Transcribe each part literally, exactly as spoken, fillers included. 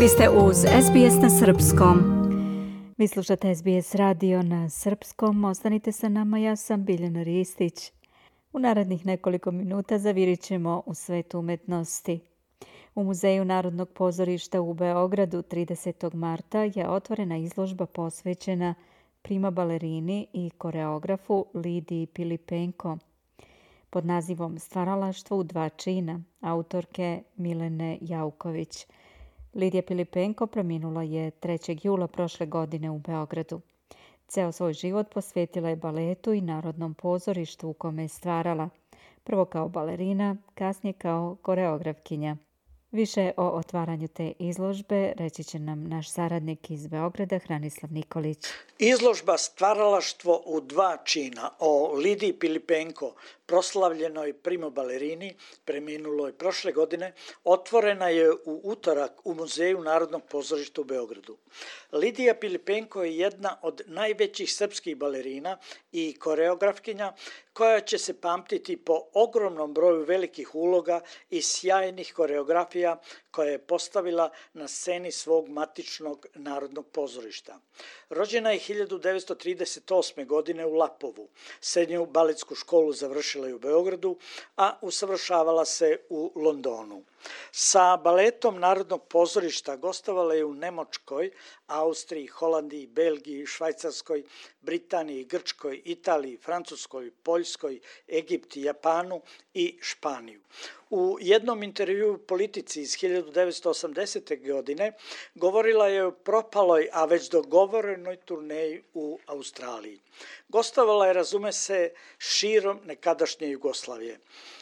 Vi ste uz S B S na srpskom. Vi slušate S B S radio na srpskom. Ostanite sa nama, ja sam Biljana Ristić. U narednih nekoliko minuta zavirit ćemo u svet umetnosti. U Muzeju Narodnog pozorišta u Beogradu tridesetog marta je otvorena izložba posvećena prima balerini i koreografu Lidiji Pilipenko pod nazivom Stvaralaštvo u dva čina autorke Milene Jauković. Lidija Pilipenko preminula je trećeg jula prošle godine u Beogradu. Ceo svoj život posvetila je baletu i Narodnom pozorištu u kome je stvarala, prvo kao balerina, kasnije kao koreografkinja. Više o otvaranju te izložbe reći će nam naš saradnik iz Beograda, Hranislav Nikolić. Izložba Stvaralaštvo u dva čina o Lidiji Pilipenko, proslavljenoj primo balerini, preminuloj prošle godine, otvorena je u utorak u Muzeju Narodnog pozorišta u Beogradu. Lidija Pilipenko je jedna od najvećih srpskih balerina i koreografkinja koja će se pamtiti po ogromnom broju velikih uloga i sjajnih koreografija koje je postavila na sceni svog matičnog Narodnog pozorišta. Rođena je hiljadu devetsto trideset osme. godine u Lapovu. Srednju baletsku školu završila je u Beogradu, a usavršavala se u Londonu. Sa baletom Narodnog pozorišta gostovala je u Nemačkoj, Austriji, Holandiji, Belgiji, Švajcarskoj, Britaniji, Grčkoj, Italiji, Francuskoj, Poljskoj, Egipti, Japanu i Španiju. U jednom intervjuu Politici iz hiljadu devetsto osamdesete. godine govorila je o propaloj, a već dogovorenoj turneji u Australiji. Gostovala je, razume se, širom nekadašnje Jugoslavije.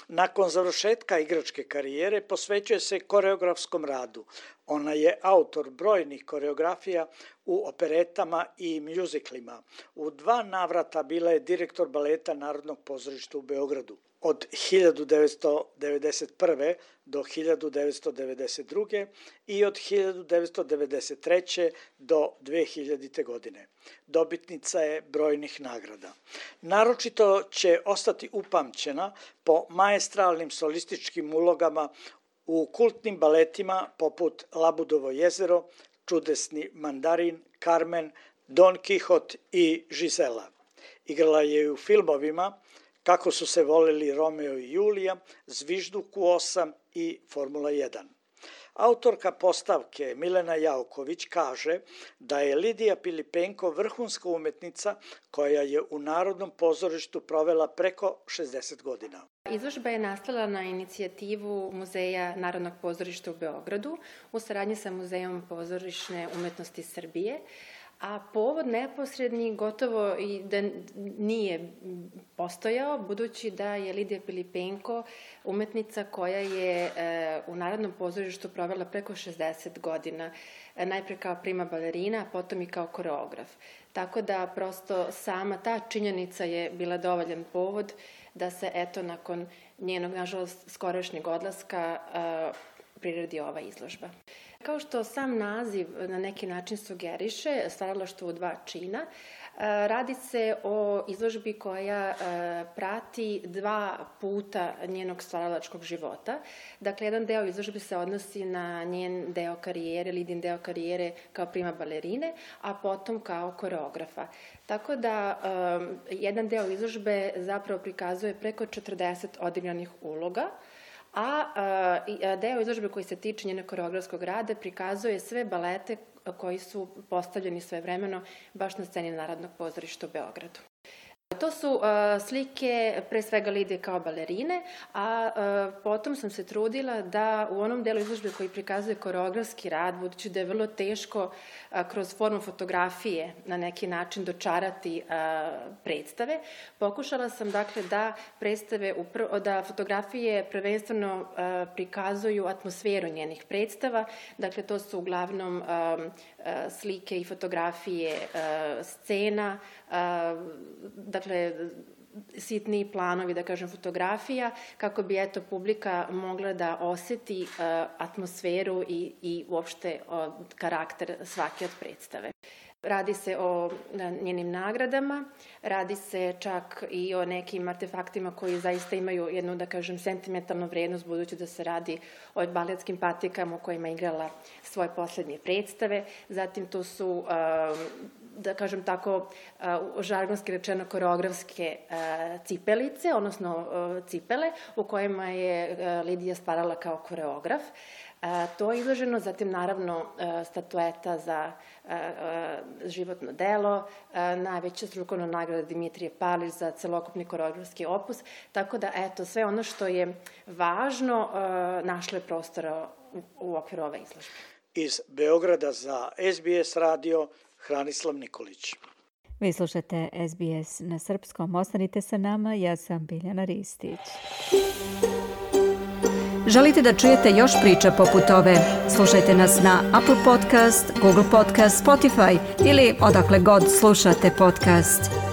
Nakon završetka igračke karijere posvećuje se koreografskom radu. Ona je autor brojnih koreografija u operetama i mjuziklima. U dva navrata bila je direktor baleta Narodnog pozorišta u Beogradu. Od hiljadu devetsto devedeset prve. do hiljadu devetsto devedeset druge. i od hiljadu devetsto devedeset treće. do dve hiljadite. godine. Dobitnica je brojnih nagrada. Naročito će ostati upamćena po maestralnim solističkim ulogama u kultnim baletima poput Labudovo jezero, Čudesni mandarin, Carmen, Don Kihot i Žizela. Igrala je i u filmovima Kako su se voleli Romeo i Julija, Zvižduk u osam i Formula jedan. Autorka postavke Milena Jauković kaže da je Lidija Pilipenko vrhunska umetnica koja je u Narodnom pozorištu provela preko šezdeset godina. Izložba je nastala na inicijativu Muzeja Narodnog pozorišta u Beogradu u saradnji sa Muzejom pozorišne umetnosti Srbije, a povod neposredni gotovo i da nije postojao, budući da je Lidija Pilipenko umetnica koja je u Narodnom pozorištu provela preko šezdeset godina, najpre kao prima balerina, a potom i kao koreograf. Tako da prosto sama ta činjenica je bila dovoljan povod da se eto nakon njenog, nažalost, skorašnjeg odlaska priredi ova izložba. Kao što sam naziv na neki način sugeriše, Stvaralaštvo u dva čina, radi se o izložbi koja prati dva puta njenog stvaralačkog života. Dakle, jedan deo izložbe se odnosi na njen deo karijere, Lidin deo karijere kao prima balerine, a potom kao koreografa. Tako da jedan deo izložbe zapravo prikazuje preko četrdeset odigranih uloga, a deo izložbe koji se tiče njenog koreografskog rada prikazuje sve balete koji su postavljeni svojevremeno baš na sceni Narodnog pozorišta u Beogradu. To su uh, slike pre svega Lidije kao balerine, a uh, potom sam se trudila da u onom delu izložbe koji prikazuje koreografski rad, budući da je vrlo teško uh, kroz formu fotografije na neki način dočarati uh, predstave, pokušala sam dakle da predstave, upr- da fotografije prvenstveno uh, prikazuju atmosferu njenih predstava, dakle to su uglavnom um, uh, slike i fotografije uh, scena, uh, dakle, sitni planovi, da kažem, fotografija, kako bi, eto, publika mogla da oseti uh, atmosferu i, i uopšte uh, karakter svake od predstave. Radi se o njenim nagradama, radi se čak i o nekim artefaktima koji zaista imaju jednu, da kažem, sentimentalnu vrednost, budući da se radi o baletskim patikama u kojima je igrala svoje poslednje predstave. Zatim tu su, da kažem tako, žargonski rečeno koreografske cipelice, odnosno cipele, u kojima je Lidija stvarala kao koreograf. To je izloženo, zatim naravno statueta za životno delo, najveća strukovna nagrada Dimitrije Palić za celokupni koreografski opus, tako da eto, sve ono što je važno našlo je prostora u okviru ove izložbe. Iz Beograda za S B S radio, Hranislav Nikolić. Vi slušate S B S na srpskom, ostanite sa nama, ja sam Biljana Ristić. Želite da čujete još priča poput ove? Slušajte nas na Apple Podcast, Google Podcast, Spotify ili odakle god slušate podcast.